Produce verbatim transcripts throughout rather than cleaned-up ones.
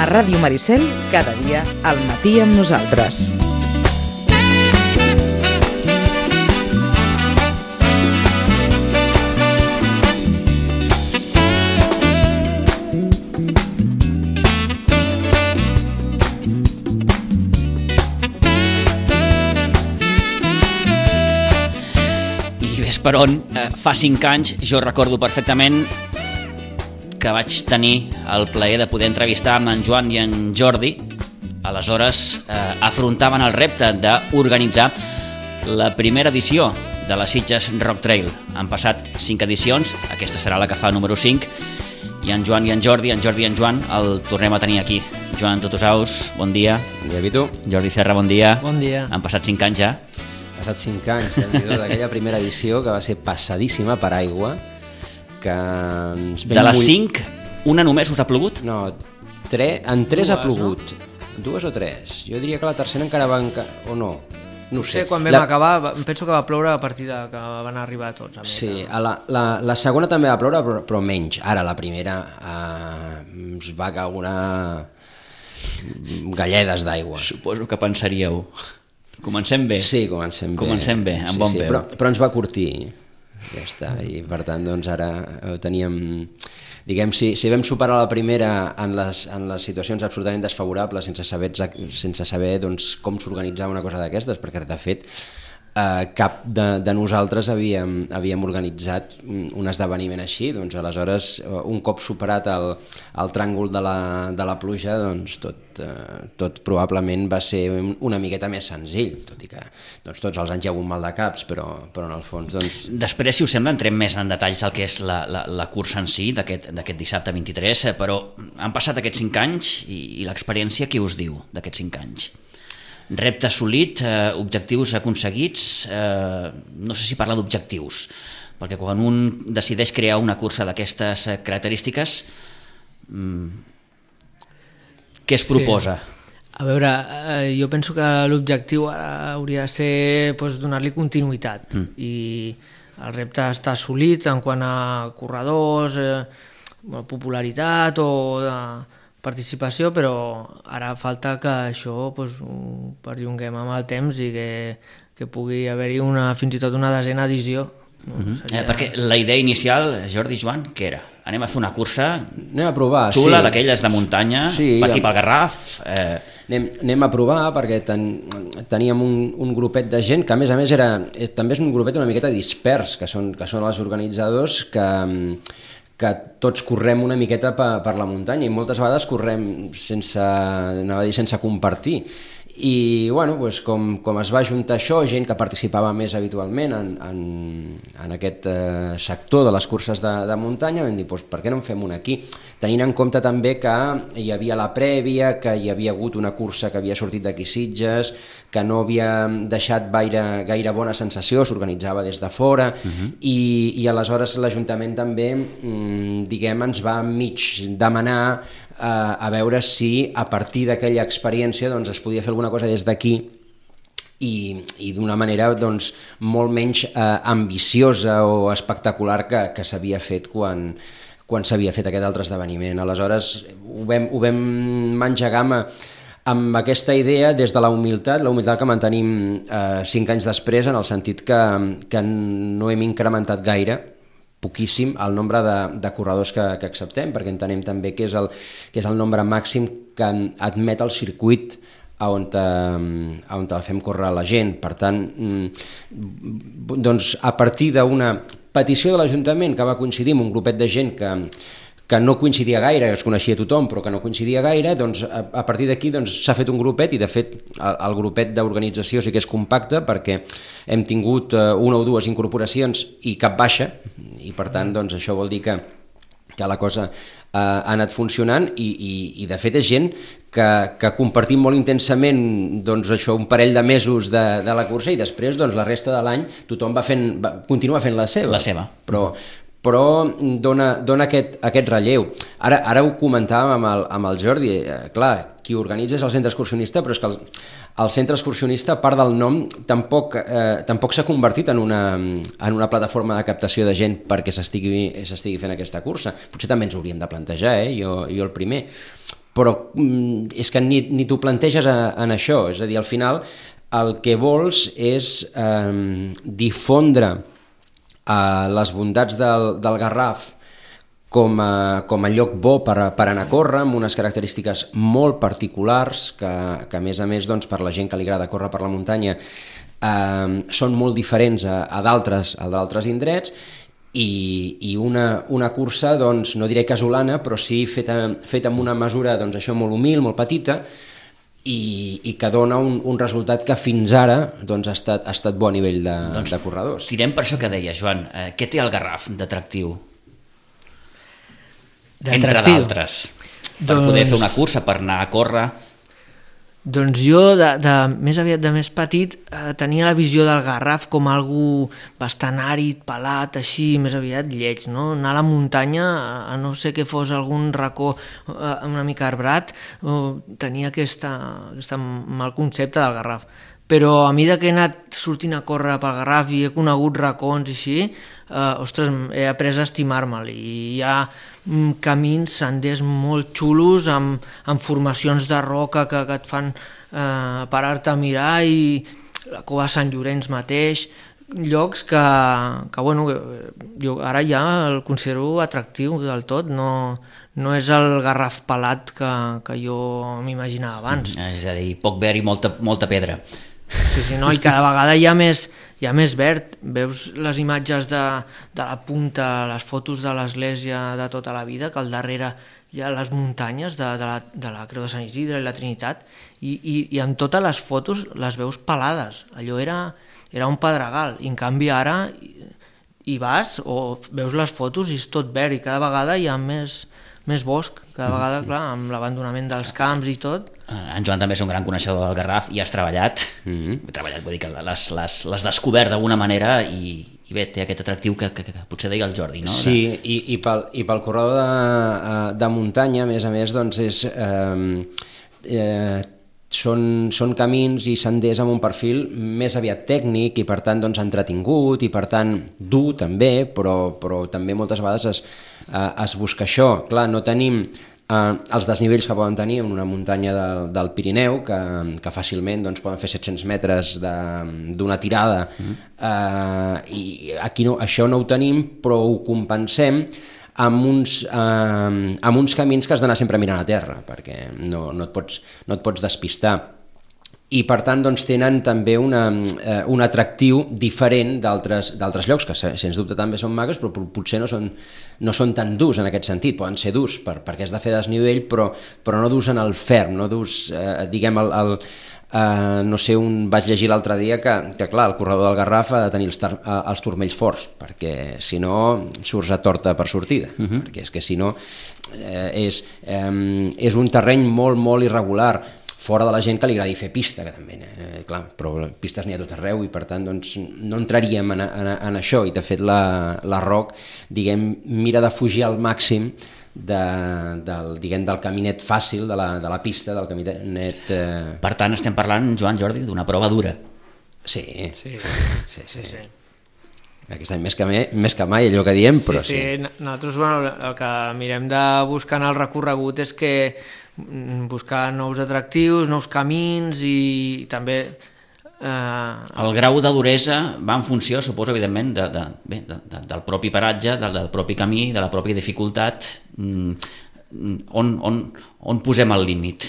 A Ràdio Maricel, cada dia al matí amb nosaltres. Per on, eh, fa cinc anys, jo recordo perfectament que vaig tenir el plaer de poder entrevistar amb en Joan i en Jordi. Aleshores eh, afrontaven el repte d'organitzar la primera edició de la Sitges Rock Trail. Han passat cinc edicions, aquesta serà la que fa número cinc, i en Joan i en Jordi, en Jordi i en Joan, el tornem a tenir aquí. Joan Tutusaus, bon dia. Bon dia, Vitu. Jordi Serra, bon dia. Bon dia. Han passat cinc anys ja. Passat cinc anys d'aquella primera edició que va ser passadíssima per aigua, que ens de les cinc, una només us ha plogut? No, tre... en tres Dues, ha plogut, no? Dues o tres. Jo diria que la tercera encara va... Enca... o no, no ho sé. Sí, quan vam la... acabar, penso que va ploure a partir de que van arribar tots. A sí, a la, la, la segona també va ploure, però, però menys. Ara la primera eh, ens va caure una... galledes d'aigua. Suposo que pensaríeu... Comencem bé. Sí, comencem bé. Comencem bé, amb sí, bon sí, peu. Però, però ens va curtir, ja està, i per tant doncs ara teníem, diguem, si, si vam superar la primera en les, en les situacions absolutament desfavorables sense saber, sense saber doncs, com s'organitzava una cosa d'aquestes, perquè de fet eh, cap de, de nosaltres havíem, havíem organitzat un esdeveniment així, doncs aleshores un cop superat el, el tràngol de la, de la pluja, doncs tot, eh, tot probablement va ser una miqueta més senzill, tot i que doncs, tots els anys hi ha hagut mal de caps, però, però en el fons... Doncs... Després, si us sembla, entrem més en detalls del que és la, la, la cursa en si d'aquest dissabte vint-i-tres, però han passat aquests cinc anys i, i l'experiència què us diu d'aquests cinc anys? Repte assolit, eh, objectius aconseguits, eh, no sé si parlar d'objectius, perquè quan un decideix crear una cursa d'aquestes característiques, mm, què es proposa? Sí. A veure, eh, jo penso que l'objectiu hauria de ser doncs, donar-li continuïtat mm. i el repte està assolit en quant a corredors, eh, popularitat o de participació, però ara falta que això doncs, ho perllonguem amb el temps i que, que pugui haver-hi una, fins i tot una desena edició. Uh-huh. Seria... eh, perquè la idea inicial, Jordi i Joan, què era? Anem a fer una cursa anem a provar, xula, sí. d'aquelles de muntanya, sí, per aquí ja... pel Garraf... Eh... Anem, anem a provar perquè ten, teníem un, un grupet de gent que a més a més era, també és un grupet una miqueta dispers, que són, que són els organitzadors que... que tots correm una miqueta per, per la muntanya i moltes vegades correm sense, anava a dir, sense compartir. I bueno, doncs com, com es va juntar això, gent que participava més habitualment en, en, en aquest eh, sector de les curses de, de muntanya, vam dir, doncs, per què no en fem una aquí? Tenint en compte també que hi havia la prèvia, que hi havia hagut una cursa que havia sortit d'aquí Sitges, que no havia deixat gaire, gaire bona sensació, s'organitzava des de fora, uh-huh. i, i aleshores l'Ajuntament també, mm, diguem, ens va mig demanar a veure si a partir d'aquella experiència doncs, es podia fer alguna cosa des d'aquí i, i d'una manera doncs, molt menys eh, ambiciosa o espectacular que, que s'havia fet quan, quan s'havia fet aquest altre esdeveniment. Aleshores ho vam, ho vam engegar amb, amb aquesta idea des de la humilitat, la humilitat que mantenim eh, cinc anys després, en el sentit que, que no hem incrementat gaire, poquíssim, el nombre de, de corredors que, que acceptem, perquè entenem també que és, el, que és el nombre màxim que admet el circuit a on, a on el fem córrer la gent. Per tant, doncs, a partir d'una petició de l'Ajuntament que va coincidir amb un grupet de gent que, que no coincidia gaire, que es coneixia tothom, però que no coincidia gaire, doncs a, a partir d'aquí doncs, s'ha fet un grupet i de fet el, el grupet d'organització sí que és compacte perquè hem tingut uh, una o dues incorporacions i cap baixa i per tant doncs, això vol dir que, que la cosa uh, ha anat funcionant i, i, i de fet és gent que, que compartim molt intensament doncs, això, un parell de mesos de, de la cursa i després doncs, la resta de l'any tothom va fent, va, continua fent la seva. La seva. Però però dona, dona aquest, aquest relleu. Ara, ara ho comentàvem amb el, amb el Jordi, eh, clar, qui organitza és el centre excursionista, però és que el, el centre excursionista, a part del nom, tampoc, eh, tampoc s'ha convertit en una, en una plataforma de captació de gent perquè s'estigui, s'estigui fent aquesta cursa. Potser també ens ho hauríem de plantejar, eh? jo, jo el primer. però mm, és que ni, ni t'ho planteges a, en això, és a dir, al final el que vols és eh, difondre eh, les bondats del, del Garraf com a, com a lloc bo per, per anar a córrer, amb unes característiques molt particulars que, que a més a més doncs, per la gent que li agrada córrer per la muntanya eh, són molt diferents a, a d'altres a d'altres indrets i, i una, una cursa, doncs, no diré casolana, però sí feta, feta amb una mesura doncs, això molt humil, molt petita, i, i que dona un, un resultat que fins ara doncs, ha, estat, ha estat bo a nivell de, doncs, de corredors. Tirem per això que deia, Joan, eh, què té el Garraf d'atractiu? Entre d'altres, per doncs, poder fer una cursa, per anar a córrer. Doncs jo, de, de, més aviat de més petit, eh, tenia la visió del Garraf com algú bastant àrid, pelat, així, més aviat lleig, no? Anar a la muntanya, a no sé que fos algun racó eh, una mica arbrat, eh, tenia aquesta, aquesta mal concepte del Garraf. Però a mesura que he anat sortint a córrer pel Garraf i he conegut racons i així, eh, ostres, he après a estimar-me'l. I hi ha mm, camins, senders molt xulos, amb, amb formacions de roca que, que et fan eh, parar-te a mirar, i la cova de Sant Llorenç mateix, llocs que, que bueno, jo ara ja el considero atractiu del tot, no, no és el Garraf pelat que, que jo m'imaginava abans. Mm, és a dir, poc verd i molta, molta pedra. Sí, sí, no? I cada vegada hi ha més, hi ha més verd. Veus les imatges de, de la punta, les fotos de l'església de tota la vida, que al darrere hi ha les muntanyes de, de, la, de la Creu de Sant Isidre i la Trinitat, i, i, i en totes les fotos les veus pelades. Allò era, era un pedregal, i en canvi ara hi, hi vas o veus les fotos i és tot verd, i cada vegada hi ha més, més bosc, cada vegada, clar, amb l'abandonament dels camps i tot. En Joan també és un gran coneixedor del Garraf i has treballat, mm-hmm. he treballat, vull dir que les, les, les descobert d'alguna manera i, i bé, té aquest atractiu que, que, que potser deia el Jordi, no? Sí, i, i, pel, i pel corredor de, de muntanya, a més a més, doncs és... Eh, eh, són, són camins i senders amb un perfil més aviat tècnic i per tant doncs, entretingut i per tant dur també, però, però també moltes vegades es, eh, es busca això. Clar, no tenim eh, els desnivells que poden tenir en una muntanya de, del Pirineu, que, que fàcilment doncs, poden fer set-cents metres d'una tirada, mm. eh, i aquí no, això no ho tenim, però ho compensem amb uns, eh, amb uns camins que has d'anar sempre mirant a terra, perquè no, no, et, pots, no et pots despistar. I per tant doncs, tenen també una, eh, un atractiu diferent d'altres llocs, que sens dubte també són maques, però potser no són, no són tan durs en aquest sentit. Poden ser durs per, perquè has de fer desnivell, però, però no durs en el ferm, no durs, eh, diguem, el, el, Uh, no sé, un, vaig llegir l'altre dia que, que clar, el corredor del Garraf ha de tenir els, tar, uh, els turmells forts, perquè si no surts a torta per sortida, uh-huh. perquè és que si no eh, és, eh, és un terreny molt, molt irregular, fora de la gent que li agradi fer pista, que també, eh, clar, però pistes n'hi ha tot arreu i per tant doncs, no entraríem en, en, en això, i de fet la, la Roc, diguem, mira de fugir al màxim De, del, diguem, del caminet fàcil de la, de la pista, del caminet eh... Per tant estem parlant, Joan, Jordi, d'una prova dura. Sí, sí, sí, sí, sí. Aquest any més que, mai, més que mai allò que diem, però sí, sí. sí. Nosaltres bueno, el que mirem de buscar en el recorregut és que buscar nous atractius, nous camins i també Uh... el grau de duresa va en funció, suposo, evidentment, de, de, bé, de, de, del propi paratge, del, del propi camí, de la pròpia dificultat, mm, on, on, on posem el límit.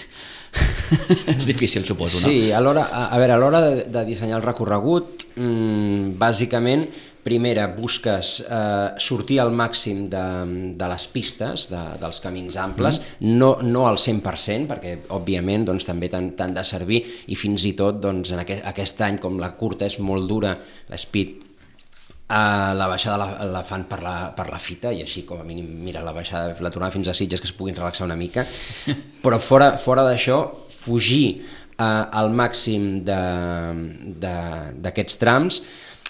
És difícil, suposo, no? Sí, a l'hora a, a veure, a l'hora de, de dissenyar el recorregut, mmm, bàsicament, primera, busques eh, sortir al màxim de, de les pistes, de, dels camins amples, mm. no, no al cent per cent, perquè, òbviament, doncs, també t'han de servir, i fins i tot, doncs, en aquest, aquest any, com la curta és molt dura, l'Speed, Uh, la baixada la, la fan per la, per la fita, i així com a mínim mira la baixada, la tornada fins a Sitges, que es puguin relaxar una mica, però fora, fora d'això, fugir uh, al màxim d'aquests trams,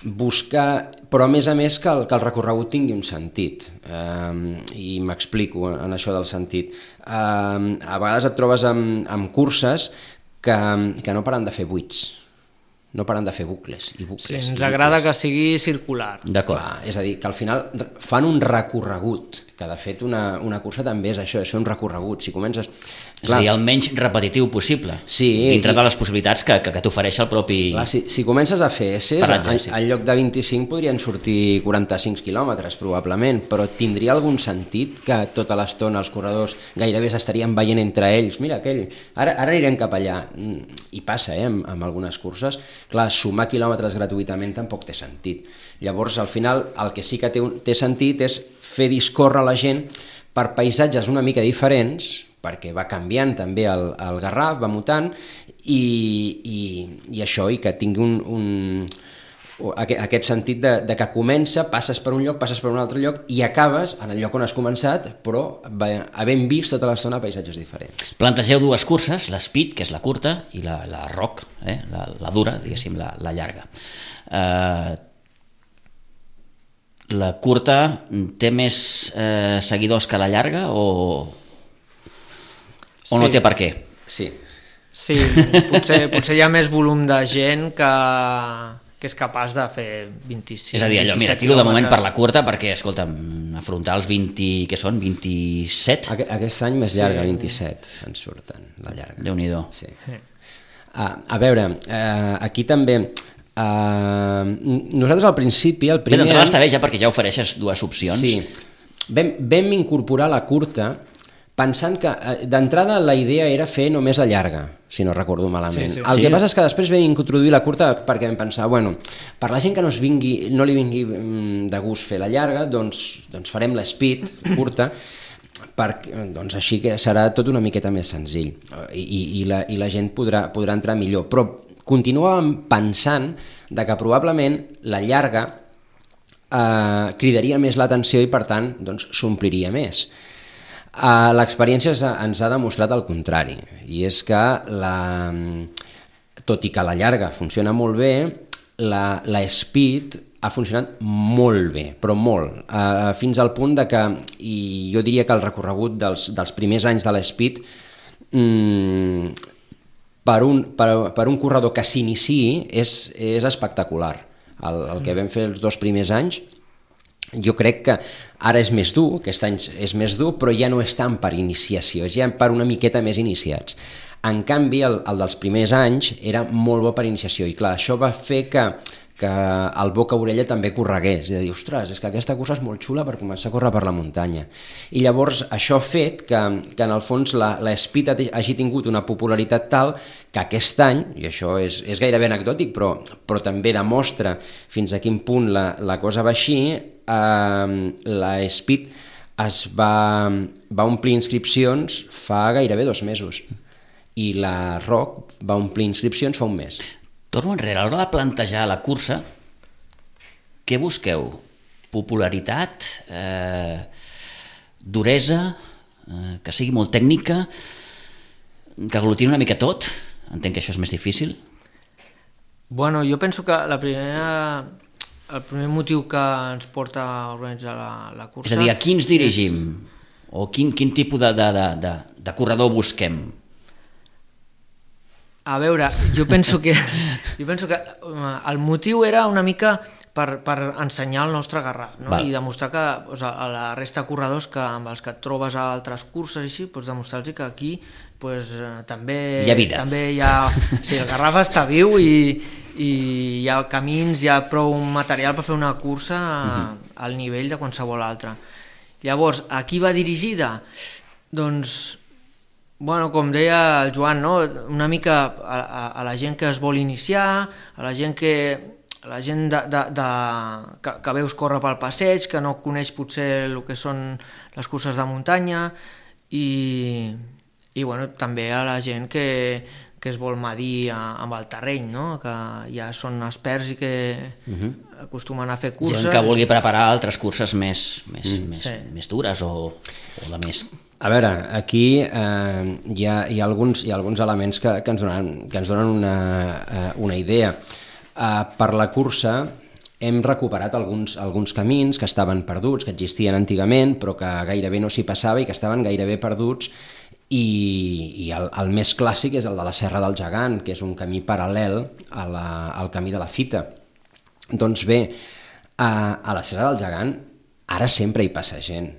buscar, però a més a més que el, que el recorregut tingui un sentit, uh, i m'explico en això del sentit. Uh, a vegades et trobes amb, amb curses que, que no paren de fer buits. no paren de fer bucles i bucles. Sí, ens bucles. agrada que sigui circular. D'acord. Clar, és a dir, que al final fan un recorregut, que de fet una, una cursa també és això, és fer un recorregut. Si comences... És a dir, el menys repetitiu possible, Sí, dintre i- de les possibilitats que, que, que t'ofereix el propi... Clar, si, si comences a fer S, Paratge, en, sí. en lloc de vint-i-cinc podrien sortir quaranta-cinc quilòmetres probablement, però tindria algun sentit que tota l'estona els corredors gairebé s'estarien veient entre ells, mira aquell, ara, ara anirem cap allà, Mm, i passa eh, amb, amb algunes curses. Clar, sumar quilòmetres gratuïtament tampoc té sentit. Llavors, al final, el que sí que té, un- té sentit és fer discórrer la gent per paisatges una mica diferents, perquè va canviant també el, el Garraf, va mutant, i, i, i això, i que tingui un, un, aquest, aquest sentit de, de que comença, passes per un lloc, passes per un altre lloc, i acabes en el lloc on has començat, però havent vist tota l'estona paisatges diferents. Plantegeu dues curses, l'Speed, que és la curta, i la, la Rock, eh? la, la dura, diguéssim, la, la llarga. Eh, la curta té més eh, seguidors que la llarga o, o no Sí. té per què? Sí. Sí, potser, potser hi ha més volum de gent que, que és capaç de fer vint-i-cinc. És a dir, allò, mira, tiro de moment per la curta perquè, escolta'm, afrontar els vint, què són, vint-i-set? Aqu aquest any més llarga, vint-i-set, ens surten, la llarga. Déu-n'hi-do. Sí. Ah, a veure, eh, aquí també... Eh, nosaltres al principi, el Bé, primer... d'entrada any- està bé ja perquè ja ofereixes dues opcions. Sí, vam, vam incorporar la curta pensant que eh, d'entrada la idea era fer només la llarga, si no recordo malament. Sí, sí. El Sí. que passa és que després vam introduir la curta perquè vam pensar, bueno, per la gent que no, es vingui, no li vingui mm, de gust fer la llarga, doncs, doncs farem la speed curta, perquè, doncs així que serà tot una miqueta més senzill i, i, i, la, i la gent podrà, podrà entrar millor. Però continuàvem pensant de que probablement la llarga eh, cridaria més l'atenció i per tant doncs, s'ompliria més. Uh, l'experiència ens ha, ens ha demostrat el contrari, i és que la, tot i que la llarga funciona molt bé, la, la speed ha funcionat molt bé, però molt, uh, fins al punt de que, i jo diria que el recorregut dels, dels primers anys de l'Speed, mm, per, un, per, per un corredor que s'iniciï és, és espectacular. El, el que vam fer els dos primers anys, jo crec que ara és més dur, aquest any és més dur, però ja no és tant per iniciació, és ja per una miqueta més iniciats. En canvi, el, el dels primers anys era molt bo per iniciació, i clar, això va fer que, que el boca-orella també corregués, i de dir, ostres, és que aquesta cursa és molt xula per començar a córrer per la muntanya. I llavors això ha fet que, que en el fons la, la Speed hagi tingut una popularitat tal que aquest any, i això és, és gairebé anecdòtic, però, però també demostra fins a quin punt la, la cosa va així, eh, la Speed es va, va omplir inscripcions fa gairebé dos mesos i la Rock va omplir inscripcions fa un mes. Torno enrere, a l'hora de plantejar la cursa, què busqueu? Popularitat? Eh, duresa? Eh, que sigui molt tècnica? Que aglutini una mica tot? Entenc que això és més difícil. Bueno, jo penso que la primera, el primer motiu que ens porta a organitzar la, la cursa... És a dir, a qui ens dirigim? O quin, quin tipus de, de, de, de, de corredor busquem? A veure, jo penso que, jo penso que eh, el motiu era una mica per, per ensenyar el nostre Garraf, no? Val. I demostrar que o sigui, a la resta de corredors que, amb els que et trobes a altres curses i així, doncs demostrar-los que aquí pues, eh, també, Hi ha vida. també hi ha... Sí, el Garraf està viu i, i hi ha camins, hi ha prou material per fer una cursa uh-huh. al nivell de qualsevol altra. Llavors, a qui va dirigida? Doncs... Bueno, com deia el Joan, no? Una mica a, a, a la gent que es vol iniciar, a la gent que a la gent de, de, de, que, que veus córrer pel passeig, que no coneix potser el que són les curses de muntanya, i, i bueno, també a la gent que, que es vol medir a, amb el terreny, no? Que ja són experts i que uh-huh. acostumen a fer curses. Gent que vulgui preparar altres curses més, més, mm. més, Sí. més dures o, o de més... A veure, aquí eh, hi, ha, hi, ha alguns, hi ha alguns elements que, que ens donen, que ens donen una, eh, una idea. Eh, per la cursa hem recuperat alguns, alguns camins que estaven perduts, que existien antigament, però que gairebé no s'hi passava i que estaven gairebé perduts, i, i el, el més clàssic és el de la Serra del Gegant, que és un camí paral·lel a la, al camí de la Fita. Doncs bé, a, a la Serra del Gegant ara sempre hi passa gent,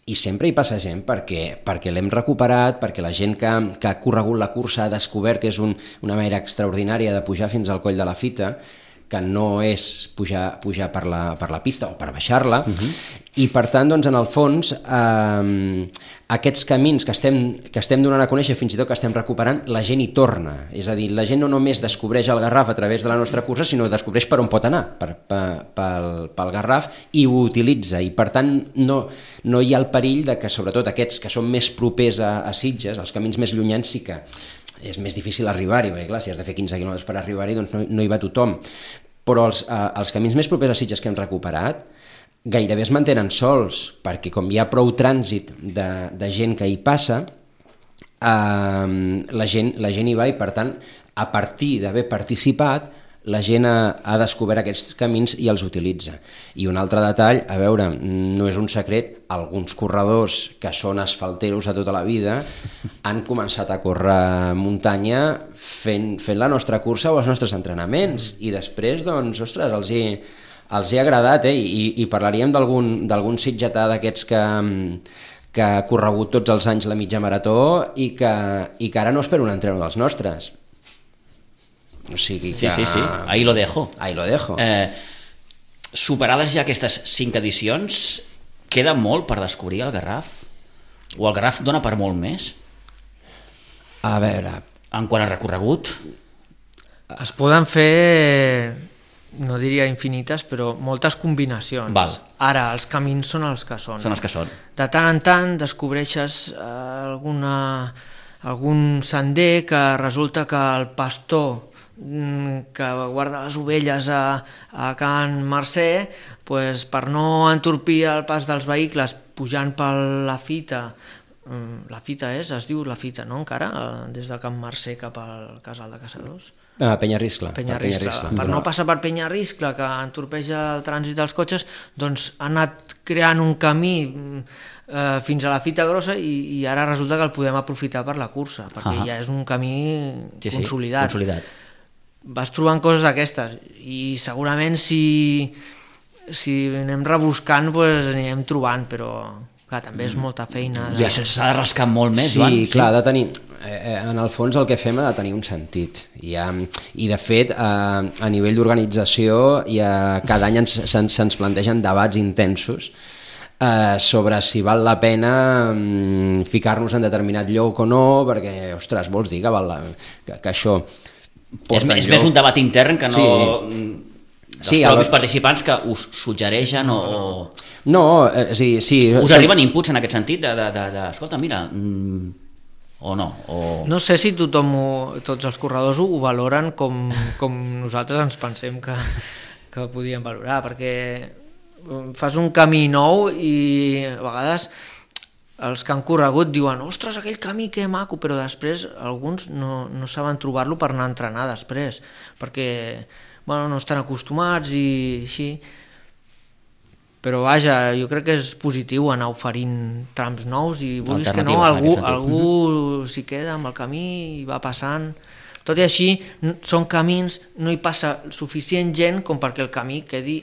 i sempre hi passa gent perquè, perquè l'hem recuperat, perquè la gent que, que ha corregut la cursa ha descobert que és un, una manera extraordinària de pujar fins al coll de la Fita, que no és pujar, pujar per, la, per la pista o per baixar-la, uh-huh. I per tant, doncs, en el fons, eh, aquests camins que estem, que estem donant a conèixer, fins i tot que estem recuperant, la gent hi torna. És a dir, la gent no només descobreix el Garraf a través de la nostra cursa, sinó descobreix per on pot anar, per, per, pel, pel Garraf, i ho utilitza. I per tant, no, no hi ha el perill de que, sobretot aquests que són més propers a, a Sitges, els camins més llunyans, sí que és més difícil arribar-hi, perquè clar, si has de fer quinze quilòmetres per arribar-hi, doncs no, no hi va tothom. Però els, eh, els camins més propers a Sitges que hem recuperat gairebé es mantenen sols, perquè com hi ha prou trànsit de, de gent que hi passa, eh, la, gent, la gent hi va i per tant, a partir d'haver participat, la gent ha, ha descobert aquests camins i els utilitza. I un altre detall, a veure, no és un secret, alguns corredors que són asfalteros de tota la vida han començat a córrer muntanya fent, fent la nostra cursa o els nostres entrenaments, i després, doncs, ostres, els hi, els hi ha agradat, eh? I, i parlaríem d'algun sitgetà d'aquests que, que ha corregut tots els anys la mitja marató i que, i que ara no espera un entreno dels nostres. O sigui que... Sí, sí, sí, ahí lo dejo. Ahí lo dejo. Eh, superades ja aquestes cinc edicions, queda molt per descobrir el Garraf? O el Garraf dona per molt més? A veure... En quant a recorregut? Es poden fer, no diria infinites, però moltes combinacions. Val. Ara, els camins són els que són. Són els que són. De tant en tant descobreixes eh, alguna, algun sender que resulta que el pastor que guarda les ovelles a, a Can Mercè, pues, per no entorpir el pas dels vehicles pujant per la Fita, la Fita és, es diu la Fita, no, encara, des de Can Mercè cap al Casal de Caçadors? Ah, Penyarriscle. Penyarriscle. Per no passar per Penyarriscle, que entorpeja el trànsit dels cotxes, doncs ha anat creant un camí eh, fins a la Fita Grossa i, i ara resulta que el podem aprofitar per la cursa, perquè uh-huh. ja és un camí sí, sí, consolidat. consolidat. Vas trobant coses d'aquestes i segurament si, si anem rebuscant pues, anirem trobant, però clar, també és molta feina. De... Ja s'ha de rascar molt més, sí, Joan. Sí, clar, ha de tenir, eh, en el fons el que fem ha de tenir un sentit. I, ha, i de fet, eh, a nivell d'organització, ja cada any ens, se'ns, se'ns plantegen debats intensos eh, sobre si val la pena mm, ficar-nos en determinat lloc o no, perquè, ostres, vols dir que, val la, que, que això... És, és més un debat intern que no sí. dels sí, propis el... participants que us suggereixen o... No, eh, sí, sí. Us arriben inputs en aquest sentit de, de, de, de escolta, mira, mm, o no? O... No sé si tothom, ho, tots els corredors ho valoren com, com nosaltres ens pensem que, que podíem valorar, perquè fas un camí nou i a vegades... els que han corregut diuen, ostres, aquell camí que maco, però després alguns no, no saben trobar-lo per anar a entrenar després, perquè bueno, no estan acostumats i així. Però vaja, jo crec que és positiu anar oferint trams nous i vulguis que no, algú, algú s'hi queda amb el camí i va passant. Tot i així, són camins, no hi passa suficient gent com perquè el camí quedi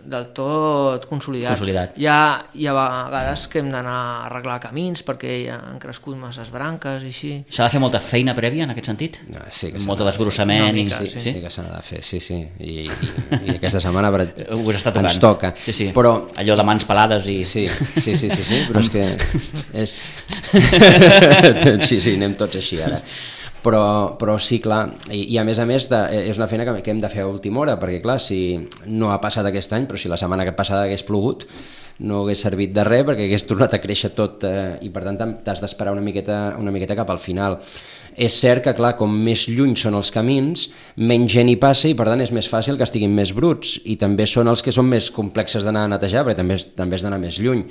del tot consolidat. consolidat. Hi ha, hi ha vegades que hem d'anar a arreglar camins perquè ja han crescut masses branques i així. S'ha de fer molta feina prèvia en aquest sentit? No, sí que Molta desbrossament? Mica, i... sí, sí, sí que s'ha de fer, sí, sí. I, i, i aquesta setmana per... us està tocant. ens toca. Sí, sí. Però... allò de mans pelades i... Sí, sí, sí, sí, sí, però és que... És... sí, sí, anem tots així ara. Però, però sí, clar, i, i a més a més de, és una feina que, que hem de fer a última hora, perquè clar, si no ha passat aquest any, però si la setmana passada hagués plogut, no hagués servit de res perquè hagués tornat a créixer tot eh, i per tant t'has d'esperar una miqueta, una miqueta cap al final. És cert que, clar, com més lluny són els camins, menys gent hi passa i per tant és més fàcil que estiguin més bruts i també són els que són més complexes d'anar a netejar perquè també, també has d'anar més lluny.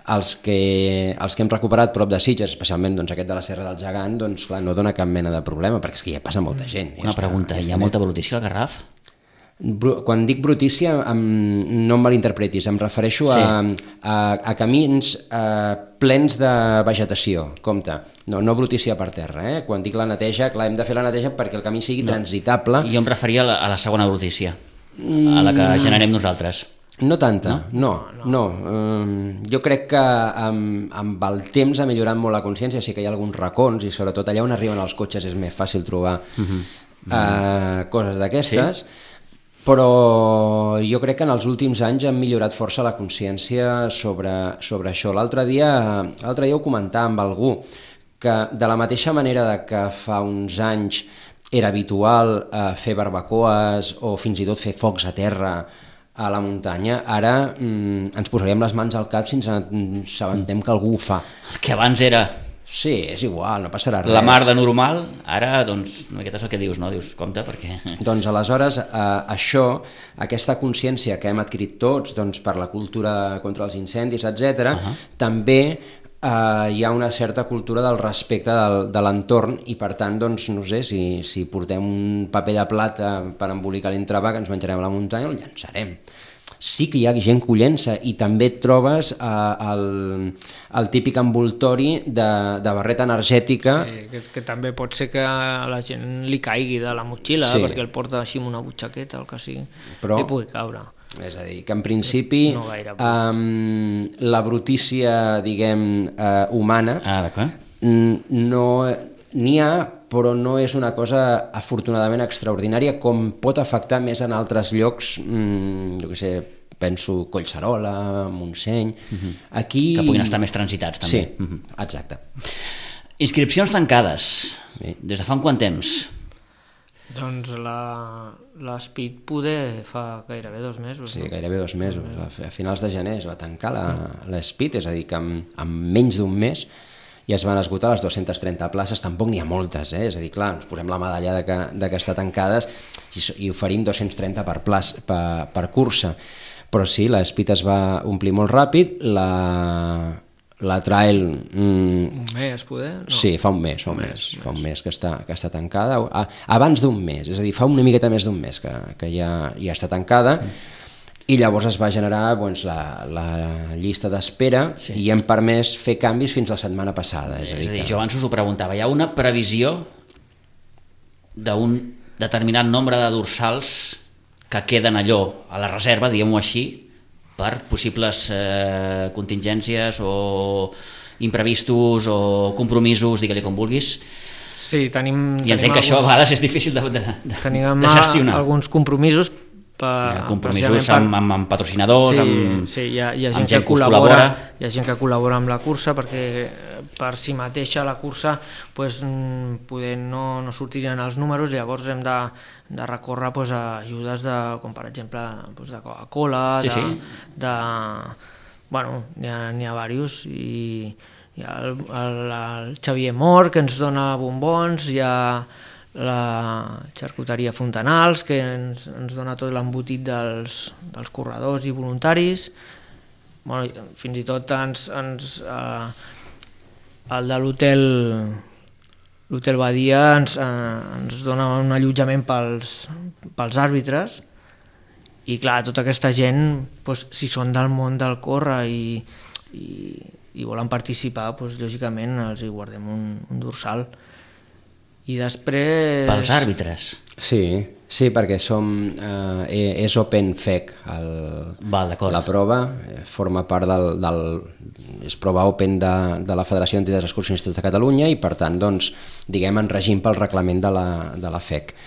Els que, els que hem recuperat prop de Sitges, especialment doncs, aquest de la Serra del Gegant, doncs, clar, no dona cap mena de problema, perquè és que ja passa molta gent. Una ja pregunta, està, hi ha molta evolució al Garraf? Quan dic brutícia, no em malinterpretis, em refereixo sí. a, a, a camins a, plens de vegetació, compte, no, no brutícia per terra, eh? Quan dic la neteja, clar, hem de fer la neteja perquè el camí sigui no. transitable. Jo em referia a la, a la segona brutícia, a la que generem nosaltres. No tanta, no, no. no. Um, jo crec que amb, amb el temps ha millorat molt la consciència, sí que hi ha alguns racons i sobretot allà on arriben els cotxes és més fàcil trobar uh-huh. uh, coses d'aquestes, sí. Però jo crec que en els últims anys han millorat força la consciència sobre, sobre això. L'altre dia, l'altre dia ho comentava amb algú, que de la mateixa manera de que fa uns anys era habitual eh, fer barbacoes o fins i tot fer focs a terra a la muntanya, ara mm, ens posaríem les mans al cap si ens assabentem que algú ho fa. El que abans era... Sí, és igual, no passarà res. La mar de normal, ara, doncs, aquest és el que dius, no? Dius, compte, perquè... Doncs aleshores, eh, això, aquesta consciència que hem adquirit tots, doncs, per la cultura contra els incendis, etcètera, uh-huh. també eh, hi ha una certa cultura del respecte del, de l'entorn i, per tant, doncs, no sé, si, si portem un paper de plata per embolicar l'entrevà que ens menjarem a la muntanya, el llançarem. Sí que hi ha gent que ho llença i també et trobes eh, el, el típic envoltori de, de barreta energètica. Sí, que, que també pot ser que a la gent li caigui de la motxilla, sí. perquè el porta així amb una butxaqueta o el que sigui, però, i pugui caure. És a dir, que en principi no um, la brutícia, diguem, uh, humana ah, no n'hi ha, però no és una cosa afortunadament extraordinària com pot afectar més en altres llocs, mmm, jo què sé, penso Collserola, Montseny... Uh-huh. Aquí... Que puguin estar més transitats, també. Sí, uh-huh. exacte. Inscripcions tancades. Sí. Des de fa un quant temps? Doncs la, la Speed poder fa gairebé dos mesos. Sí, no? gairebé dos mesos. A finals de gener es va tancar la, la Speed, és a dir, que amb, amb menys d'un mes i es van esgotar les dues-centes trenta places, tampoc n'hi ha moltes, eh? És a dir, clar, ens posem la medalla de que, de que està tancades i, i oferim dos-cents trenta per, plaç, per, per cursa, però sí, la Speed es va omplir molt ràpid, la, la Trail... Mm, un mes, poder? No. Sí, fa un mes, fa un, un mes, mes, fa un mes que està, que està tancada, a, abans d'un mes, és a dir, fa una miqueta més d'un mes que, que ja, ja està tancada, mm. I llavors es va generar doncs, la, la llista d'espera sí. I hem permès fer canvis fins la setmana passada. És, és a dir, que... jo abans us ho preguntava, hi ha una previsió d'un determinat nombre de dorsals que queden allò a la reserva, diguem-ho així, per possibles eh, contingències o imprevistos o compromisos, digue-li com vulguis. Sí, tenim... I entenc tenim que alguns, això a vegades és difícil de, de, de, tenim de gestionar. Alguns compromisos Per, compromisos per... amb, amb, amb patrocinadors, sí, amb, sí, hi ha, hi ha gent, amb gent que, que col·labora, col·labora. Hi ha gent que col·labora amb la cursa perquè per si mateixa la cursa pues, poder no, no sortirien els números, llavors hem de, de recórrer pues, a ajudes de, com per exemple pues, de Coca-Cola, sí, de, sí. de, bueno, n'hi ha, n'hi ha diversos i hi ha el, el, el Xavier Mor que ens dona bombons, hi ha la xarcuteria Fontanals que ens, ens dona tot l'embotit dels, dels corredors i voluntaris, bueno, fins i tot ens, ens, eh, el de l'hotel l'hotel Badia ens, eh, ens dona un allotjament pels, pels àrbitres i clar, tota aquesta gent doncs, si són del món del córrer i, i, i volen participar doncs, lògicament els hi guardem un, un dorsal. I després... Pels àrbitres? Sí, sí, perquè som, eh, és Open F E C, el, Val, la prova, forma part del, del és prova Open de, de la Federació d'Entitats Excursionistes de Catalunya i per tant, doncs, diguem, en regim pel reglament de la, de la F E C.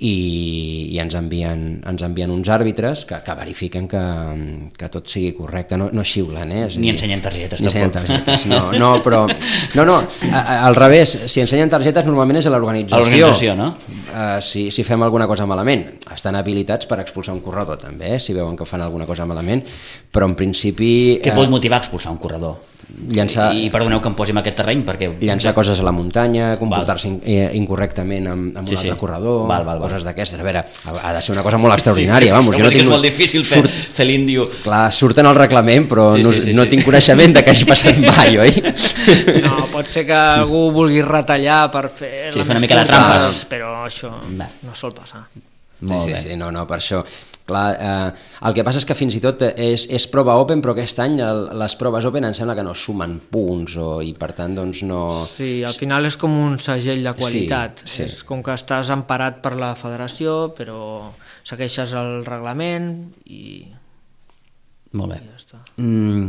I, i ens, envien, ens envien uns àrbitres que, que verifiquen que, que tot sigui correcte, no, no xiulen, eh? Ni ensenyen targetes, ni tampoc. ensenyen targetes, no, no, però no, no, a, a, al revés, si ensenyen targetes normalment és a l'organització. A l'organització, no? Uh, si, si fem alguna cosa malament, estan habilitats per expulsar un corredor també, eh? Si veuen que fan alguna cosa malament, però en principi... Què pot motivar a expulsar un corredor? Llançar, I, i perdoneu que em posi en aquest terreny perquè... Llançar coses a la muntanya, comportar-se in, incorrectament amb, amb un sí, altre sí. corredor, val, val, val. Coses d'aquestes. A veure, ha de ser una cosa molt extraordinària. Sí, vamos, jo no tinc... És molt difícil fer, Surt... fer l'índio. Clar, surten al reglament, però sí, no, sí, sí, no sí. tinc coneixement de que hagi passat mai, oi? No, pot ser que algú vulgui retallar per fer... Sí, fer una mica de trampes. Però això no, no sol passar. Molt sí, bé. sí, sí, no, no, per això. Clar, eh, el que passa és que fins i tot és, és prova open, però aquest any el, les proves open em sembla que no sumen punts o, i per tant doncs no... Sí, al final és com un segell de qualitat. Sí, sí. És com que estàs emparat per la federació, però segueixes el reglament i... Molt bé. I ja està. Mm,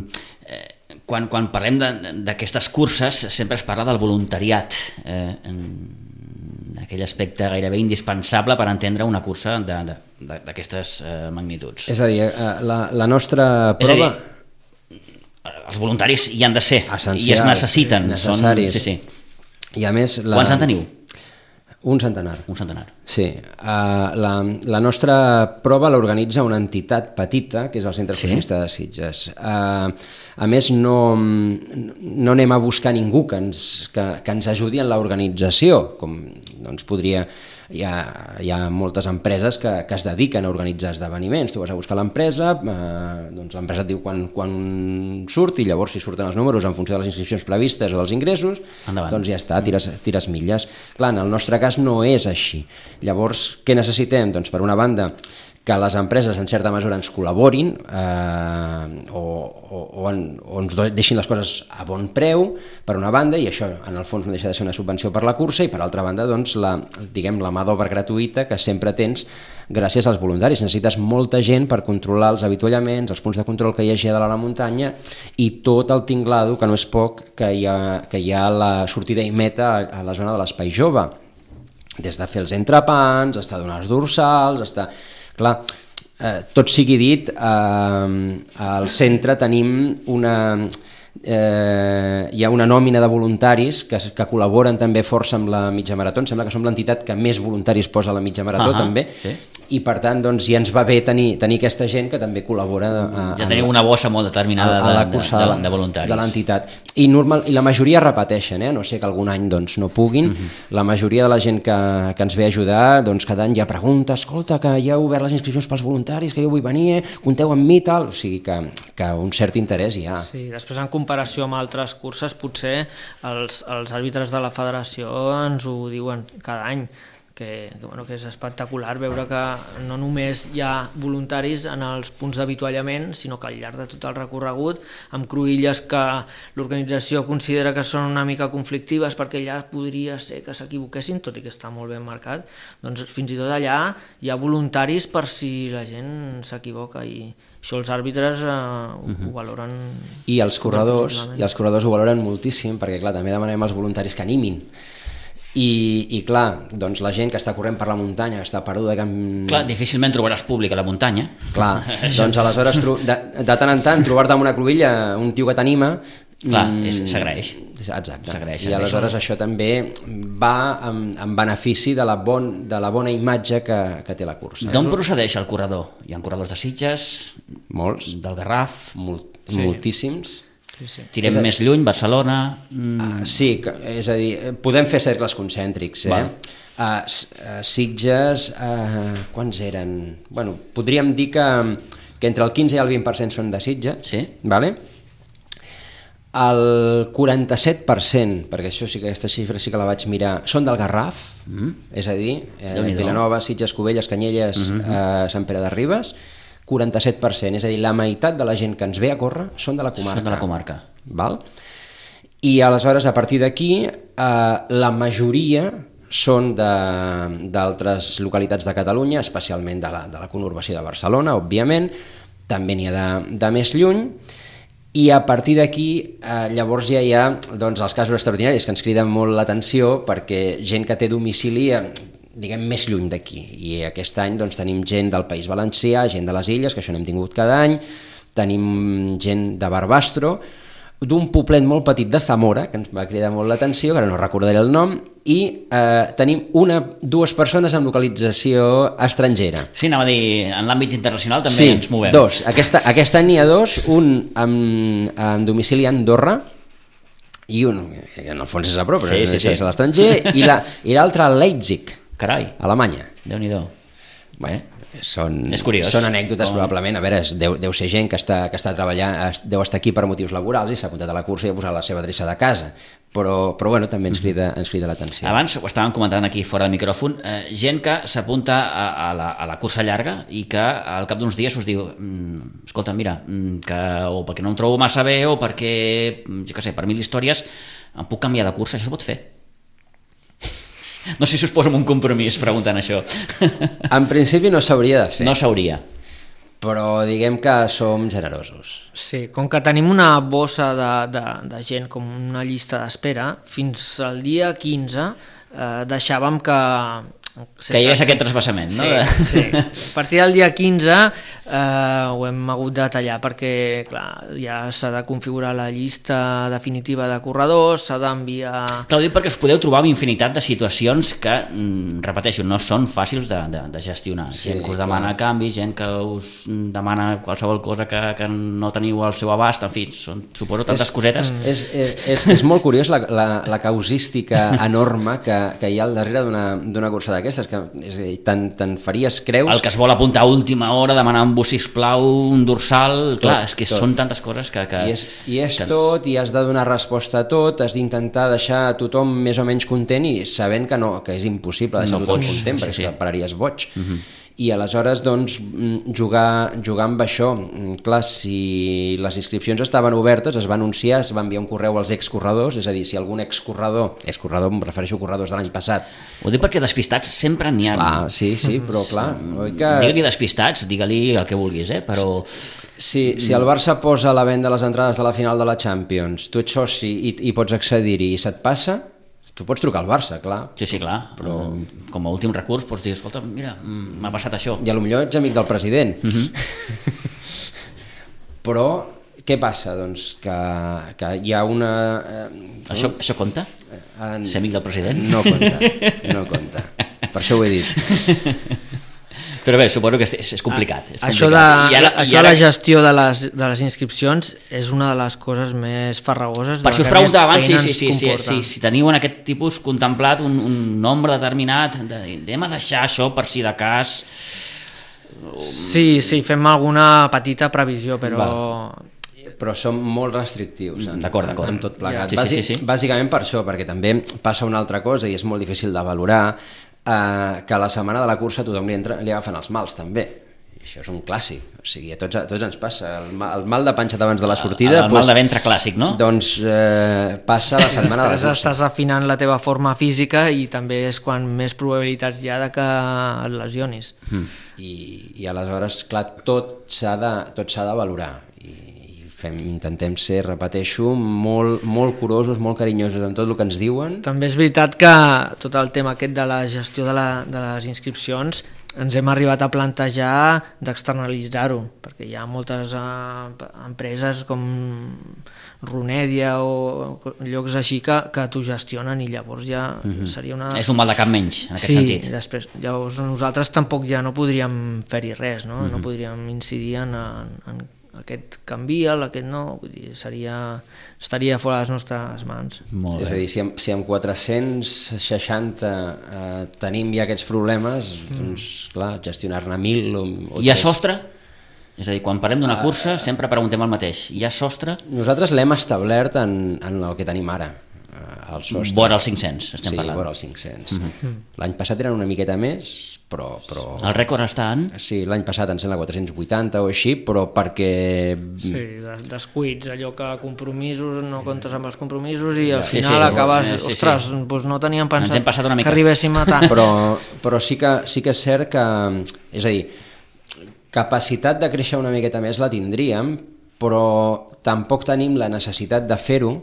eh, quan, quan parlem d'aquestes curses sempre es parla del voluntariat, eh, en aquell aspecte gairebé indispensable per entendre una cursa d'aquestes eh, magnituds. És a dir, eh, la, la nostra prova... És a dir, els voluntaris hi han de ser essencials, i es necessiten. necessaris. Són, sí, sí. I a més... La... Quants en teniu? Un centenar. Un centenar. Sí. Uh, la, la nostra prova l'organitza una entitat petita, que és el Centre Excursionista de Sitges. Uh, a més, no, no anem a buscar ningú que ens, que, que ens ajudi en l'organització, com doncs, podria... Hi ha, hi ha moltes empreses que, que es dediquen a organitzar esdeveniments. Tu vas a buscar l'empresa, eh, doncs l'empresa et diu quan, quan surt i llavors si surten els números en funció de les inscripcions previstes o dels ingressos, endavant. Doncs ja està, tires, tires milles. Clar, en el nostre cas no és així. Llavors, què necessitem? Doncs per una banda, que les empreses en certa mesura ens col·laborin eh, o, o, o, en, o ens deixin les coses a bon preu, per una banda, i això en el fons no deixa de ser una subvenció per la cursa, i per altra banda doncs, la, diguem, la mà d'obra gratuïta que sempre tens gràcies als voluntaris. Necessites molta gent per controlar els avituallaments, els punts de control que hi hagi a dalt a la muntanya i tot el tinglado, que no és poc, que hi ha, que hi ha la sortida i meta a, a la zona de l'Espai Jove. Des de fer els entrepans, està donar els dorsals, està... Clar, eh, tot sigui dit, eh, al centre tenim una... Eh, hi ha una nòmina de voluntaris que, que col·laboren també força amb la mitja marató. Em sembla que som l'entitat que més voluntaris posa a la mitja marató, uh-huh, també, sí. I per tant doncs, ja ens va bé tenir, tenir aquesta gent que també col·labora a, ja teniu una bossa molt determinada a, a la cursa de, de, de voluntaris de l'entitat, i, normal, i la majoria repeteixen, eh? No sé que algun any doncs, no puguin, uh-huh. La majoria de la gent que, que ens ve a ajudar doncs, cada any ja pregunta, escolta, que ja heu obert les inscripcions pels voluntaris, que jo vull venir, eh? Compteu amb mi, tal, o sigui que, que un cert interès hi ha. Sí, després en comparació amb altres curses potser els, els àrbitres de la federació ens ho diuen cada any, que, que, bueno, que és espectacular veure que no només hi ha voluntaris en els punts d'avituallament, sinó que al llarg de tot el recorregut, amb cruïlles que l'organització considera que són una mica conflictives perquè ja podria ser que s'equivoquessin, tot i que està molt ben marcat, doncs fins i tot allà hi ha voluntaris per si la gent s'equivoca, i això els àrbitres eh, ho, uh-huh. ho valoren. I els corredors, i els corredors ho valoren moltíssim, perquè clar, també demanem als voluntaris que animin. I, i clar, doncs la gent que està corrent per la muntanya, que està perduda... Que... Clar, difícilment trobaràs públic a la muntanya. Clar, doncs aleshores de, de tant en tant trobar-te amb una cruïlla un tio que t'anima... Clar, s'agraeix. Exacte, i aleshores això també va en, en benefici de la, bon, de la bona imatge que, que té la cursa. D'on procedeix el corredor? Hi ha corredors de Sitges? Molts. Del Garraf? Molt, sí. Moltíssims. Sí, sí. Tirem més lluny, Barcelona... Mm. Uh, sí, és a dir, podem fer cercles concèntrics, eh? Uh, Sitges, uh, quants eren? Bueno, podríem dir que, que entre el quinze i el vint per cent són de Sitges, sí. Vale? El quaranta-set per cent, perquè això sí que aquesta xifra sí que la vaig mirar, són del Garraf, mm. és a dir, eh, Vilanova, Sitges, Cubelles, Canyelles, mm-hmm. eh, Sant Pere de Ribes, quaranta-set per cent, és a dir, la meitat de la gent que ens ve a córrer són de la comarca. Són de la comarca. Val? I aleshores, a partir d'aquí, eh, la majoria són d'altres localitats de Catalunya, especialment de la, de la conurbació de Barcelona, òbviament, també n'hi ha de, de més lluny, i a partir d'aquí eh, llavors ja hi ha doncs, els casos extraordinaris que ens criden molt l'atenció, perquè gent que té domicili eh, diguem més lluny d'aquí, i aquest any doncs, tenim gent del País Valencià, gent de les Illes, que això n'hem tingut cada any, tenim gent de Barbastro, d'un poblet molt petit de Zamora, que ens va cridar molt l'atenció, que ara no recordaré el nom, i eh, tenim una, dues persones amb localització estrangera. Sí, anava a dir, en l'àmbit internacional també sí, ens movem. Dos. Aquesta, aquest any n'hi ha dos, un amb, amb domicili a Andorra, i un, en el fons és a prop, però sí, sí, sí. És a l'estranger, i l'altre a Leipzig, Carai. Alemanya. Déu-n'hi-do. Bé, són, és curiós. Són anècdotes Com... probablement, a veure, deu, deu ser gent que està, que està treballant, deu estar aquí per motius laborals i s'ha apuntat a la cursa i ha posat la seva adreça de casa. però, però bueno, també ens crida, ens crida l'atenció. Abans ho estàvem comentant aquí fora del micròfon, eh, gent que s'apunta a, a, la, a la cursa llarga i que al cap d'uns dies us diu mm, escolta, mira, que, o perquè no em trobo massa bé o perquè, jo què sé, per mil històries em puc canviar de cursa, això es pot fer? No sé si us poso en un compromís preguntant això. En principi no s'hauria de fer. No s'hauria. Però diguem que som generosos. Sí, com que tenim una bossa de, de, de gent, com una llista d'espera, fins al dia quinze eh, deixàvem que... Que hi hagués aquest trasbassament, no? Sí, sí. A partir del dia quinze eh, ho hem hagut de tallar perquè, clar, ja s'ha de configurar la llista definitiva de corredors, s'ha d'enviar... Clar, ho dic perquè us podeu trobar amb infinitat de situacions que, repeteixo, no són fàcils de, de, de gestionar. Sí, gent que us demana clar. canvis, gent que us demana qualsevol cosa que, que no teniu al seu abast, en fi, són, suposo tantes és, cosetes. És, és, és, és molt curiós la, la, la causística enorme que, que hi ha al darrere d'una cursa d'aquestes, que és a dir, tant, tant faries creus... El que es vol apuntar a última hora, demanar un bus, sisplau, un dorsal... Tot, clar, és que tot. Són tantes coses que... que I és, i és que... tot, i has de donar resposta a tot, has d'intentar deixar a tothom més o menys content i sabent que no, que és impossible deixar no tothom pots, content, perquè sí, sí. pararies boig. Uh-huh. I aleshores doncs jugar, jugar amb això, clar, si les inscripcions estaven obertes es va anunciar, es va enviar un correu als excorredors, és a dir, si algun excorredor, excorredor em refereixo a corredors de l'any passat. Ho dic perquè despistats sempre n'hi ha. Clar, sí, sí, però clar, oi que... Digue-li despistats, digue-li el que vulguis, eh? Però... Si, si el Barça posa a la venda les entrades de la final de la Champions, tu ets soci i, i pots accedir-hi i se't passa, tu pots trucar al Barça, clar. Sí, sí, clar, però com a últim recurs pots dir, escolta, mira, m'ha passat això. I potser ets amic del president. Uh-huh. Però què passa? Doncs que, que hi ha una... Eh, això, no? Això compta? En... Ser amic del president? No compta, no compta. Per això ho he dit. Però bé, suposo que és, és complicat. És això complicat. de, I ara, això i ara... la gestió de les, de les inscripcions és una de les coses més farragoses. Per si us preguntava abans si, si, si, si, si, si teniu en aquest tipus contemplat un, un nombre determinat, de, anem a deixar això per si de cas... Sí, sí, fem alguna petita previsió, però... Val. Però som molt restrictius en, d'acord, d'acord. en tot plegat. Sí, sí, sí, sí. Bàsicament per això, perquè també passa una altra cosa i és molt difícil de valorar, eh, que a la setmana de la cursa tothom li, entra, li agafen els mals també. I això és un clàssic, o sigui, a tots, a tots ens passa. El mal, el mal de panxa abans de la sortida... El, el mal de ventre clàssic, no? Doncs eh, passa la setmana de la cursa. Estàs afinant la teva forma física i també és quan més probabilitats hi ha de que et lesionis. Mm. I, I aleshores, clar, tot s'ha de, tot s'ha de valorar. Fem, intentem ser, repeteixo, molt, molt curosos, molt carinyosos amb tot el que ens diuen. També és veritat que tot el tema aquest de la gestió de, la, de les inscripcions ens hem arribat a plantejar d'externalitzar-ho, perquè hi ha moltes uh, empreses com Runedia o llocs així que, que t'ho gestionen i llavors ja mm-hmm. seria una... És un mal de cap menys, en aquest sí, sentit. Sí, després, llavors nosaltres tampoc ja no podríem fer-hi res, no? Mm-hmm. No podríem incidir en, en aquest canvia, aquest no, vull dir, seria, estaria fora de les nostres mans. És a dir, si amb, si amb quatre-cents seixanta eh, tenim ja aquests problemes, mm. doncs clar, gestionar-ne mil o, o hi ha sostre? És a dir, quan parlem d'una cursa uh, sempre preguntem el mateix. Hi ha sostre? Nosaltres l'hem establert en, en el que tenim ara. El sostre. Vora els cinc-cents, estem sí, parlant. Sí, vora els cinc-cents. Mm-hmm. L'any passat eren una miqueta més, però... però... El rècord està en? Sí, l'any passat em sembla quatre-cents vuitanta o així, però perquè... Sí, descuits, allò que compromisos, no comptes amb els compromisos i al sí, final sí, acabes... Sí, sí. Ostres, doncs no teníem pensat que arribéssim a tant. Però, però sí, que, sí que és cert que... És a dir, capacitat de créixer una miqueta més la tindríem, però tampoc tenim la necessitat de fer-ho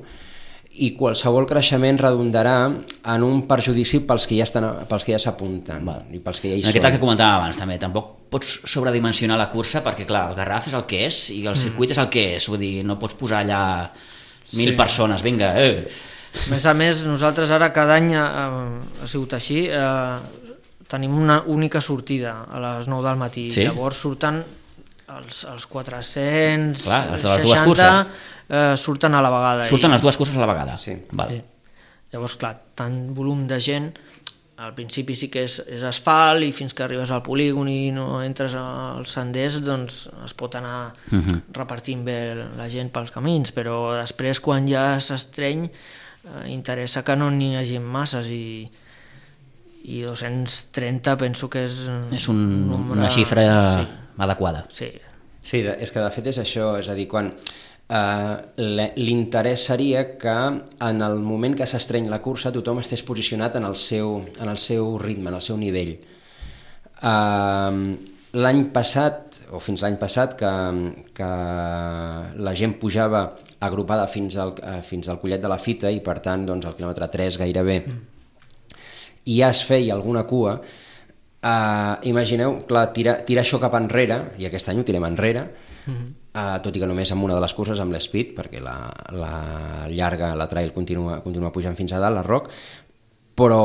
i qualsevol creixement redundarà en un perjudici pels que ja estan, pels que ja s'apunten i pels que ja hi són. Aquest que comentàvem abans també, tampoc pots sobredimensionar la cursa perquè clar, el Garraf és el que és i el circuit mm. és el que és, vull dir, no pots posar allà mil sí. persones, vinga, eh. A més a més, nosaltres ara cada any eh, ha sigut així, eh, tenim una única sortida a les nou del matí, sí? Llavors surten els, els quatre-cents clar, els de les dues curses eh, surten a la vegada. Surten i... les dues curses a la vegada. Sí. Val. Sí. Llavors, clar, tant volum de gent, al principi sí que és, és asfalt i fins que arribes al polígon i no entres als senders, doncs es pot anar uh-huh. repartint bé la gent pels camins, però després quan ja s'estreny eh, interessa que no n'hi hagi masses i, i dos-cents trenta penso que és... És un, nombre... una xifra sí. adequada. Sí. Sí, és que de fet és això, és a dir, quan eh, l'interès seria que en el moment que s'estreny la cursa tothom estés posicionat en el seu, en el seu ritme, en el seu nivell. Eh, l'any passat, o fins l'any passat, que, que la gent pujava agrupada fins al, fins al collet de la fita i per tant doncs, al quilòmetre tres gairebé mm. i ja es feia alguna cua, uh, imagineu, clar, tirar, tirar això cap enrere, i aquest any ho tirem enrere, mm-hmm. uh, tot i que només amb una de les curses, amb l'Speed, perquè la, la llarga, la trail continua, continua pujant fins a dalt, la Rock, però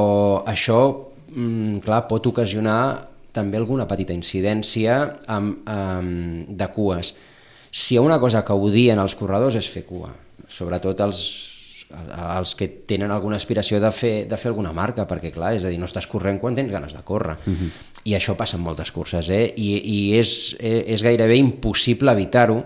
això, mm, clar, pot ocasionar també alguna petita incidència amb, amb, de cues. Si hi ha una cosa que odien els corredors és fer cua, sobretot els, els que tenen alguna aspiració de fer, de fer alguna marca, perquè clar, és a dir, no estàs corrent quan tens ganes de córrer, uh-huh. i això passa en moltes curses, eh? I, i és, és gairebé impossible evitar-ho,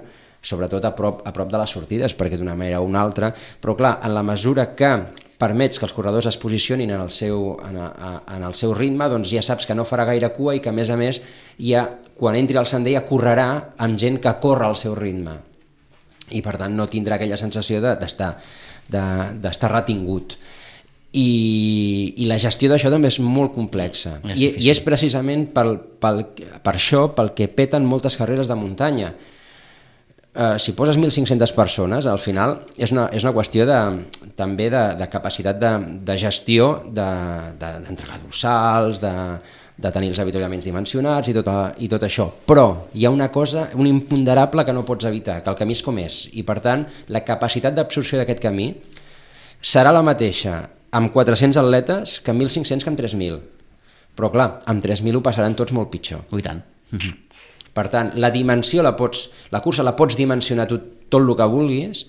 sobretot a prop, a prop de les sortides, perquè d'una manera o una altra, però clar, en la mesura que permets que els corredors es posicionin en el seu, en, a, en el seu ritme, doncs ja saps que no farà gaire cua i que a més a més ja, quan entri al sender ja correrà amb gent que corre al seu ritme i per tant no tindrà aquella sensació d'estar de, d'estar retingut. I, i la gestió d'això també és molt complexa és I, i és precisament pel, pel, per això pel que peten moltes carreres de muntanya. Uh, si poses mil cinc-centes persones, al final és una, és una qüestió de, també de, de capacitat de, de gestió, d'entregar de, de, dorsals, de, de tenir els avituallaments dimensionats i tot, a, i tot això. Però hi ha una cosa, un imponderable que no pots evitar, que el camí és com és, i per tant la capacitat d'absorció d'aquest camí serà la mateixa amb quatre-cents atletes que amb mil cinc-cents que amb tres mil. Però clar, amb tres mil ho passaran tots molt pitjor. Oh, i tant. Per tant, la dimensió la pots, la cursa la pots dimensionar tot, tot el que vulguis,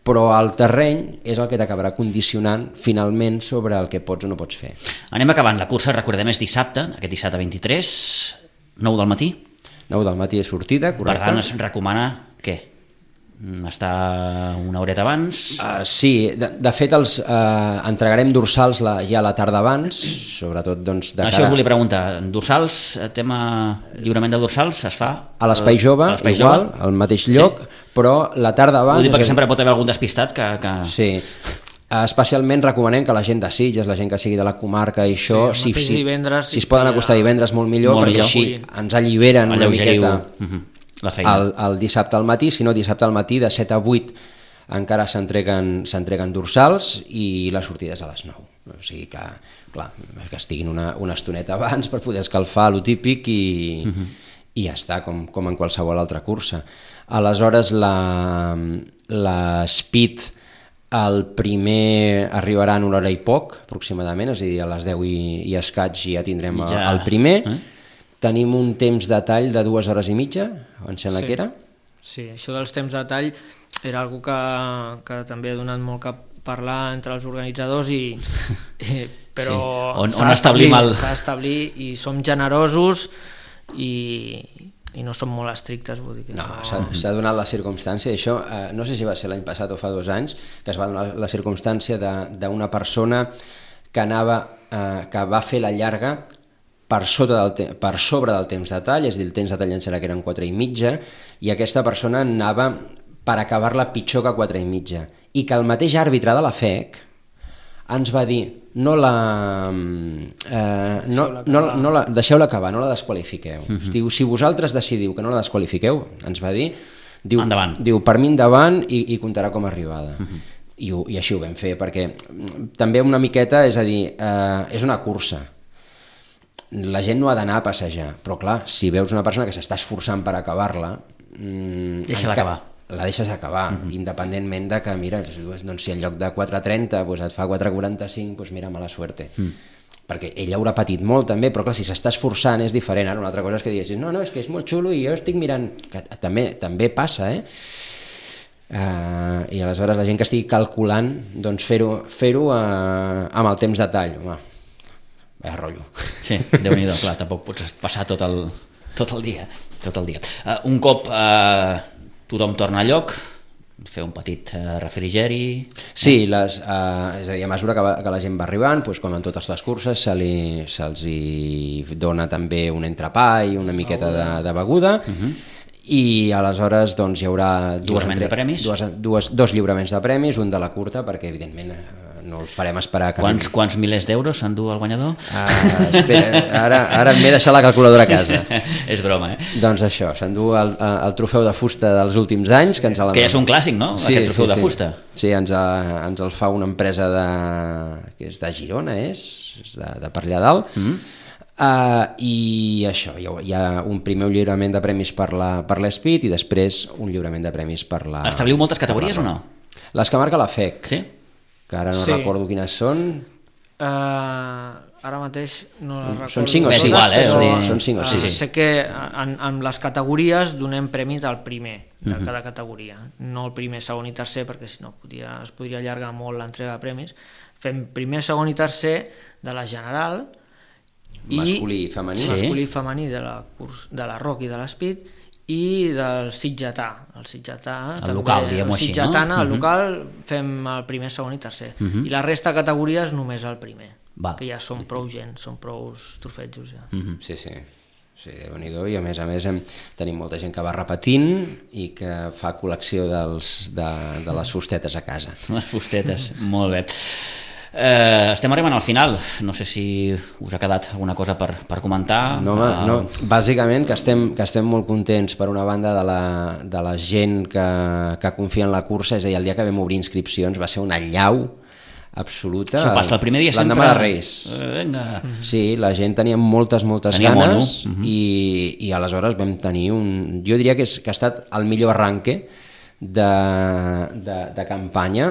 però el terreny és el que t'acabarà condicionant finalment sobre el que pots o no pots fer. Anem acabant. La cursa, recordem, és dissabte, aquest dissabte vint-i-tres, nou del matí. nou del matí és sortida, correcte. Per tant, es recomana què? Estar una horeta abans? Uh, sí, de, de fet els uh, entregarem dorsals la, ja la tarda abans, sobretot doncs de Això cara... us volia preguntar, dorsals, tema lliurament de dorsals es fa? A l'Espai Jove, igual, jove? Al mateix lloc, sí. Però la tarda abans... Ho dic perquè és... sempre pot haver algun despistat que... que... Sí, especialment recomanem que la gent de Sitges, la gent que sigui de la comarca i això, sí, si, si, divendres, si es poden acostar divendres molt millor, molt perquè millor. Així ens alliberen una miqueta... Uh-huh. El, el dissabte al matí, si no dissabte al matí de set a vuit encara s'entreguen s'entreguen dorsals i la sortida és a les nou, o sigui que clar, que estiguin una, una estoneta abans per poder escalfar lo típic i, uh-huh. i ja està, com, com en qualsevol altra cursa. Aleshores la, la Speed el primer arribarà en una hora i poc aproximadament, és a dir, a les deu i, i escaig ja tindrem ja. el primer. Eh? Tenim un temps de tall de dues hores i mitja, em sembla sí. que era. Sí, això dels temps de tall era algo que, que també ha donat molt que parlar entre els organitzadors, i, i, però sí. on, on establim el... s'ha d'establir i som generosos i, i no som molt estrictes. Vull dir que no, no... s'ha donat la circumstància, això eh, no sé si va ser l'any passat o fa dos anys, que es va donar la circumstància d'una persona que, anava, eh, que va fer la llarga per, sota del te- per sobre del temps de tall, és a dir, el temps de tall en serà que eren quatre i mitja, i aquesta persona anava per acabar-la pitjor que quatre i mitja, i que el mateix àrbitre de la F E C ens va dir no la, eh, no, no, no la deixeu-la acabar, no la desqualifiqueu. Uh-huh. Diu, si vosaltres decidiu que no la desqualifiqueu, ens va dir, diu, diu per mi endavant i, i comptarà com a arribada. Uh-huh. I, I així ho vam fer, perquè també una miqueta, és a dir, eh, és una cursa. La gent no ha d'anar a passejar, però clar, si veus una persona que s'està esforçant per acabar-la, mmm, deixa-la acabar. La deixes acabar, uh-huh. independentment de que, mira, doncs si en lloc de quatre trenta doncs et fa quatre quaranta-cinc, doncs mira, mala suerte. Uh-huh. Perquè ell haurà patit molt també, però clar, si s'està esforçant és diferent. Ara una altra cosa és que diguessis, no, no, és que és molt xulo i jo estic mirant, que també, també passa, eh? Uh, i aleshores la gent que estigui calculant, doncs fer-ho fer-ho uh, amb el temps de tall, home, vaya rotllo. Sí, Déu-n'hi-do, clar, tampoc pots passar tot el, tot el dia. Tot el dia. Uh, un cop uh, tothom torna a lloc, fer un petit refrigeri... Sí, les, uh, és a dir, a mesura que, va, que la gent va arribant, doncs, com en totes les curses, se li, se'ls hi dona també un entrepà i una miqueta de, de beguda, uh-huh. i aleshores doncs, hi haurà dues, Lliurament de premis? dues, dues, dos lliuraments de premis, un de la curta, perquè evidentment no els farem esperar... Que quants, quants milers d'euros s'endú el guanyador? Uh, espera, ara, ara m'he deixat la calculadora a casa. És broma, eh? Doncs això, s'endú el, el trofeu de fusta dels últims anys. Que, ens el... que ja és un clàssic, no? Sí, aquest trofeu sí, de sí. fusta. Sí, ens, a, ens el fa una empresa de, que és de Girona, és, és de, de per allà dalt. Mm-hmm. Uh, i això, hi ha, hi ha un primer lliurament de premis per la, per l'Speed i després un lliurament de premis per la... Establiu moltes categories o no? Les que marca la F E C, sí? Que ara no sí. recordo quines són. Uh, ara mateix no les recordo. Són cinc o sis. sis. És igual, eh? Però, dir... Són cinc o sis. Uh, sé que en, en les categories donem premi del primer de uh-huh. cada categoria, no el primer, segon i tercer, perquè si no podria, es podria allargar molt l'entrega de premis. Fem primer, segon i tercer de la general, masculí i femení, sí. masculí i femení de la, curs, de la Rock i de l'Speed, i del sitgetà, el sitgetà el també, local, diguem-ho així, no? El uh-huh. local fem el primer, segon i tercer, uh-huh. i la resta de categories només el primer. Va. Que ja són prou gent, són prou trofetjos ja. Uh-huh. Sí, sí. Sí, Déu-n'hi-do, i a més a més hem, tenim molta gent que va repetint i que fa col·lecció dels, de, de les fustetes a casa. Les fustetes, molt bé. Eh, estem arribant al final, no sé si us ha quedat alguna cosa per, per comentar. No, home, no. Bàsicament que estem, que estem molt contents per una banda de la, de la gent que, que confia en la cursa, és a dir, el dia que vam obrir inscripcions va ser una allau absoluta. Això passa el primer dia sempre. L'endemà de Reis. Eh, venga. Sí, la gent tenia moltes, moltes tenia ganes mono. i, i aleshores vam tenir un... Jo diria que, és, que ha estat el millor arranque de, de, de campanya,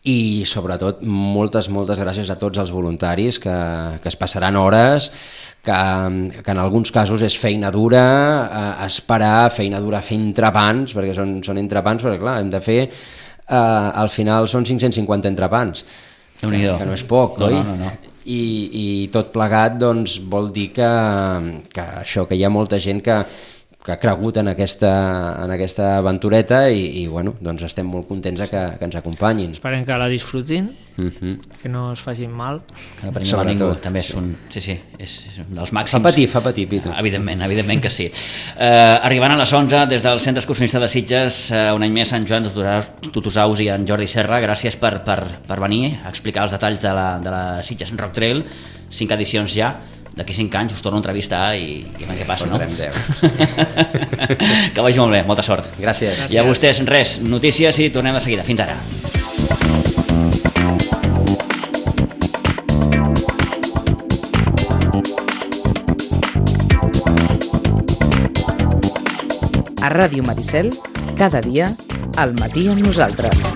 i sobretot moltes, moltes gràcies a tots els voluntaris que, que es passaran hores, que, que en alguns casos és feina dura, eh, esperar, feina dura fer entrepans, perquè són, són entrepans, perquè clar, hem de fer, eh, al final són cinc-cents cinquanta entrepans, que, que no és poc, no, oi? No, no, no. I, i tot plegat doncs, vol dir que, que això, que hi ha molta gent que que ha cregut en aquesta, en aquesta aventureta i, i bueno, doncs estem molt contents que, que ens acompanyin. Esperem que la disfrutin, uh-huh. que no es facin mal. Que no prenguin mal ningú, també és un, sí, sí, és, és un dels màxims. Fa patir, fa patir, Pitu. Evidentment, evidentment que sí. Eh, arribant a les onze, des del Centre Excursionista de Sitges, eh, un any més, en Joan Tutusaus i en Jordi Serra, gràcies per, per, per venir a explicar els detalls de la, de la Sitges Rock Trail, cinc edicions ja. D'aquí cinc anys us torno a entrevistar i, i a què passa, no? Que vagi molt bé, molta sort. Gràcies. I a vostès, res, notícies i tornem de seguida. Fins ara. A Ràdio Maricel, cada dia, al matí amb nosaltres.